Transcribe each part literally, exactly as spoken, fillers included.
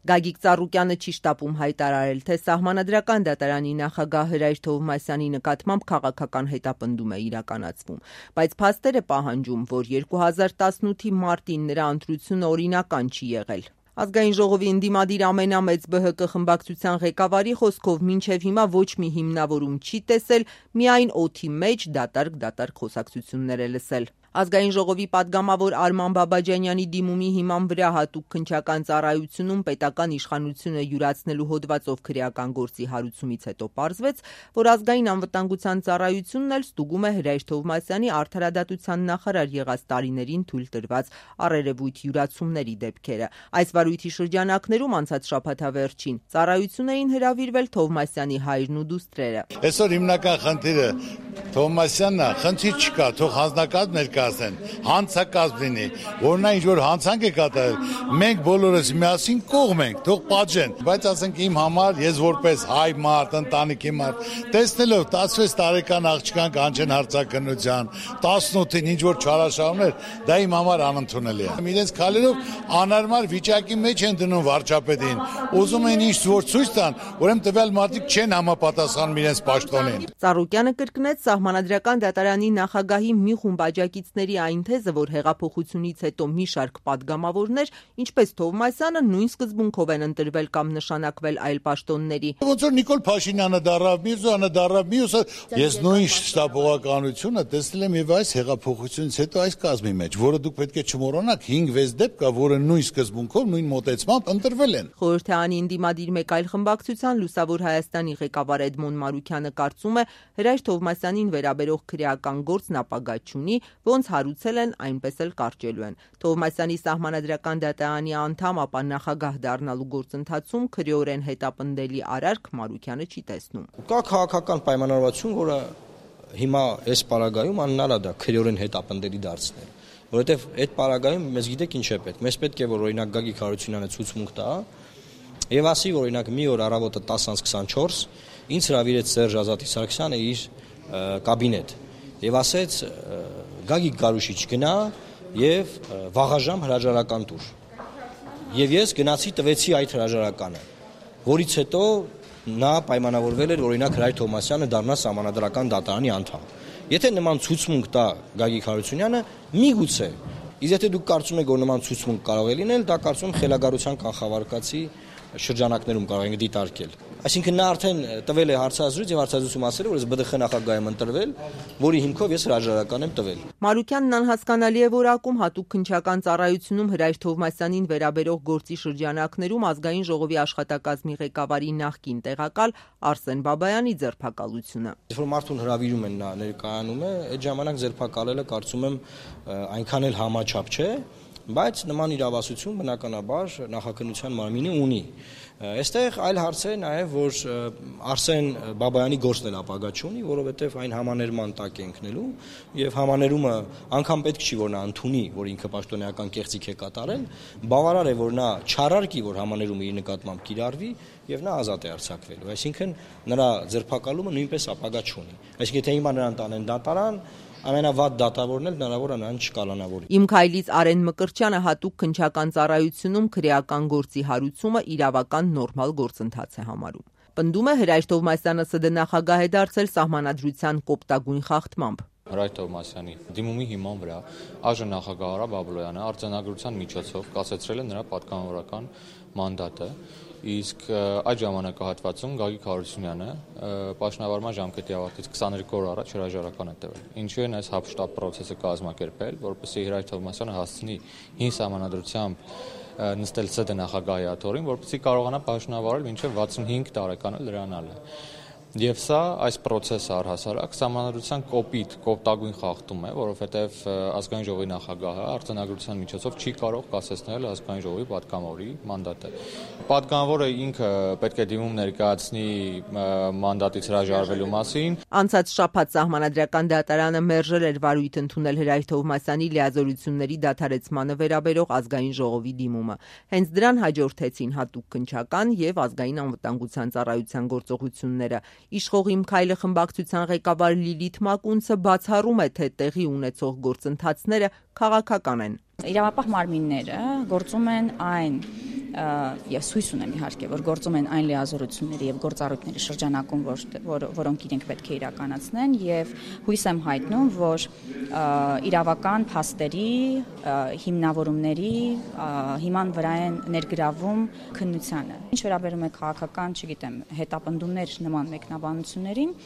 Գագիկ Ծառուկյանը չի շտապում հայտարարել, թե Սահմանադրական դատարանի նախագահ Հրայր Թովմասյանի նկատմամբ քաղաքական հետապնդում է իրականացվում, բայց փաստեր է պահանջում, որ երկու հազար տասնութի մարտին նրա ընտրությունը օրինական չի եղել։ Ազգային ժողովի ընդդիմադիր ամենամեծ Բ Հ Կ խմբակցության ղեկավարի խոսքով մինչև հիմա ոչ մի հիմնավորում չի տեսել, միայն օդի մեջ դատարկ-դատարկ խոսակցություններ է լսել։ Ազգային ժողովի պատգամավոր Արման Բաբաջանյանի դիմումի հիման վրա հատուկ քննչական ծառայությունում պետական իշխանությունը յուրացնելու հոդվածով քրեական գործի հարուցումից հետո պարզվեց, որ ազգային անվտանգության ծառայությունն էլ ստուգում է Հրայր Թովմասյանի արդարադատության նախարար եղած տարիներին թույլ տրված առերևույթ յուրացումների դեպքերը։ Այս վարույթի շրջանակներում անցած շաբաթավերջին ծառայություն էին հրավիրվել Թովմասյանի հայրն ու դուստրերը։ Այսօր հիմնական խնդիրը Թովմասյանն է, խնդիր չկա, թող հանձնակազմ ներկայացնեն, հանցակազմ լինի, որ նա ինչ-որ հանցանք է կատարել, մենք բոլորս միասին կողմ ենք, թող պատժեն, բայց ասենք իմ համար, ես որպես հայ մարդ, ընտանիքի մարդ, տեսնելով տասնվեց տարեկան աղջկան կանչեն հարցաքննության, տասնութին ինչ-որ չարաշահումներ, դա իմ համար անընդունելի է։ Իրենց քայլերով անհարմար վիճակի մեջ են դնում վարչապետին, ուզում են ինչ որ ցույց տան, ուրեմն տվյալ մարդիկ չեն համապատասխանում իրենց պաշտոնին։ Ծառուկյանը կրկնեց Սահմանադրական դատարանի նախագահի մի խումբ աջակիցների այն թեզը, որ հեղափոխությունից հետո մի շարք պատգամավորներ, ինչպես Թովմասյանը, նույն սկզբունքով են ընտրվել կամ նշանակվել այլ պաշտոնների։ Ոնց որ Նիկոլ Փաշինյանը դառավ, Միրզոյանը դառավ, մյուսը, ես նույն շտապողականությունը տեսել եմ եւ այս հեղափոխությունից հետո այս կազմի մեջ, որը դուք պետք է չմոռանաք, հինգ-վեց դեպք կա, որը նույն սկզբունքով, նույն մոտեցմամբ ընտրվել են։ Խորհրդարանի ընդդիմադիր մեկ այլ խմբակցության Լուսավոր Հայաստանի ղեկավար Էդմոն Մարուքյանը կարծում է, Հրայր Թովմասյանին վերաբերող քրեական գործն ապագա չունի, ոնց հարուցել են, այնպես էլ կարճելու են։ Թովմասյանի Սահմանադրական դատարանի անդամ, ապա նախագահ դառնալու գործընթացում քրեորեն հետապնդելի արարք Մարուքյանը չի տեսնում։ Կա քաղաքական պայմանավորվածություն, որը հիմա այս պարագայում անհնար է դա քրեորեն հետապնդելի դարձնել, որովհետև այդ պարագայում մեզ գիտեք ինչ է պետք։ Մեզ պետք է որ օրինակ Գագիկ Հարությունյանը ցուցմունք տա եւ ասի, որ օրինակ մի օր առավոտը տասը քսանչորս ինձ հրավիրեց Սերժ Ազատի Սարգսյանը իր կաբինետ եւ ասեց Գագիկ Գարուշիչ գնա եւ վաղաժամ հրաժարական տուր։ Եվ ես գնացի տվեցի այդ հրաժարականը, որից հետո նա պայմանավորվել էր օրինակ Հրայր Թովմասյանը դառնա Սահմանադրական դատարանի անդամ։ Եթե նման ցուցմունք տա Գագիկ Հարությունյանը, միգուցե, իսկ եթե դուք կարծում եք, որ նման ցուցմունք կարող է լինել, դա կարծում եմ խելագարության կանխավարկածի շրջանակներում կարող ենք դիտարկել։ Այսինքն նա արդեն տվել է հարցազրույց եւ հարցազրույցում ասել է, որ ես Բ Դ Խ նախագահ եմ ընտրվել, որի հիմքով ես հրաժարական եմ տվել։ Մարուքյանն անհասկանալի է որակում հատուկ քննչական ծառայությունում Հրայր Թովմասյանին վերաբերող գործի շրջանակներում Ազգային ժողովի աշխատակազմի ղեկավարի նախկին տեղակալ Արսեն Բաբայանի ձերբակալությունը։ Երբ որ մարդուն հրավիրում են, նա ներկայանում է, այդ ժամանակ ձերբակալելը կարծում եմ այնքան էլ համաչափ չէ, բայց նման իրավասություն բնականաբար նախաքննության մարմինը ունի։ Այստեղ այլ հարց է նաև, որ Արսեն Բաբայանի գործն էլ ապագա չունի, որովհետև այն համաներման տակ է ընկնելու եւ համաներումը անգամ պետք չի, որ նա ընդունի, որ ինքը պաշտոնեական կեղծիք է կատարել, բավարար է, որ նա չարարկի, որ համաներումը իր նկատմամբ կիրառվի եւ նա ազատ է արձակվելու։ Այսինքն նրա ձերբակալումը նույնպես ապագա չունի։ Այսինքն եթե հիմա նրան տանեն դատարան, ամենավատ դատավորն էլ հնարավոր է նրան չկալանավորի։ Իմ քայլից Արեն Մկրտչյանը հատուկ քննչական ծառայությունում քրեական գործի հարուցումը իրավական նորմալ գործընթաց է համարում։ Պնդում է Հրայր Թովմասյանը Ս Դ նախագահ է դարձել Սահմանադրության կոպտագույն խախտմամբ։ Հրայր Թովմասյանի դիմումի հիման վրա այժմ նախագահ Արա Բաբլոյանը արձանագրության միջոցով կասեցրել է նրա պատգամավորական մանդատը, իսկ այդ ժամանակահատվածում Գագիկ Հարությունյանը պաշտոնավարման ժամկետի ավարտից քսաներկու օր առաջ հրաժարական է տվել։ Ինչու են այս հապշտապ պրոցեսը կազմակերպել, որպեսզի Հրայր Թովմասյանը հասցնի հին Սահմանադրությամբ նստել Ս Դ նախագահի աթոռին, որպեսզի կարողանա պաշտոնավարել մինչև վաթսունհինգ տարեկանը լրանալը։ Եվ սա այս պրոցեսը առհասարակ Սահմանադրության կոպիտ, կոպտագույն խախտում է, որովհետև Ազգային ժողովի նախագահը արձանագրության միջոցով չի կարող կասեցնել Ազգային ժողովի պատգամավորի մանդատը։ Պատգամավորը ինքը պետք է դիմում ներկայացնի մանդատից հրաժարվելու մասին։ Անցած շաբաթ Սահմանադրական դատարանը մերժել էր վարույթ ընդունել Հրայր Թովմասյանի լիազորությունների դադարեցմանը վերաբերող Ազգային ժողովի դիմումը։ Հենց դրան հաջորդեցին հատուկ քննչական եւ Ազգային անվտանգության ծառայության գործողությունները։ Իշխող Իմ քայլը խմբակցության ղեկավար Լիլիթ Մակունցը բացառում է, թե տեղի ունեցող գործընթացները քաղաքական են։ Իրավապահ մարմինները գործում են այն ես հույս ունեմ իհարկե, որ գործում են այն լիազորությունների եւ գործառույթների շրջանակում, որ, որ, որոնք իրենք պետք է իրականացնեն եւ հույս եմ հայտնում, որ իրավական փաստերի, հիմնավորումների հիման վրա են ներգրավում քննությանը։ Ինչ վերաբերում է քաղաքական, չգիտեմ, հետապնդումներ նման մեկնաբանություններին,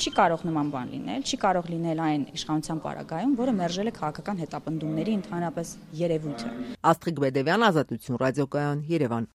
չի կարող նման բան լինել, չի կարող լինել այն իշխանության պարագայում, որը մերժել է քաղաքական հետապնդումների ընդհանրապես երևույթը։ Աստղիկ Բեդևյան, Ազատություն ռադիոկայան, Երևան։